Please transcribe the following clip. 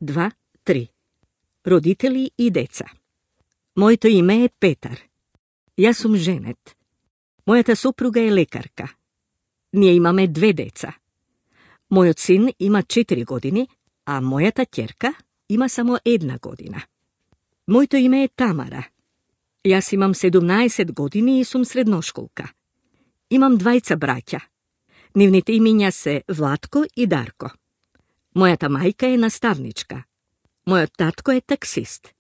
2, 3. Roditelji i deca. Моето име е Петар. Јас сум женет. Мојата сопруга е лекарка. Ние имаме 2 деца. Мојот син има 4 години, а мојата ќерка има само 1 година. Моето име е Тамара. Јас имам 17 години и сум средношколка. Имам 2 браќа. Нивните имиња се Владко и Дарко. Мојата мајка е наставничка. Мојот татко е таксист.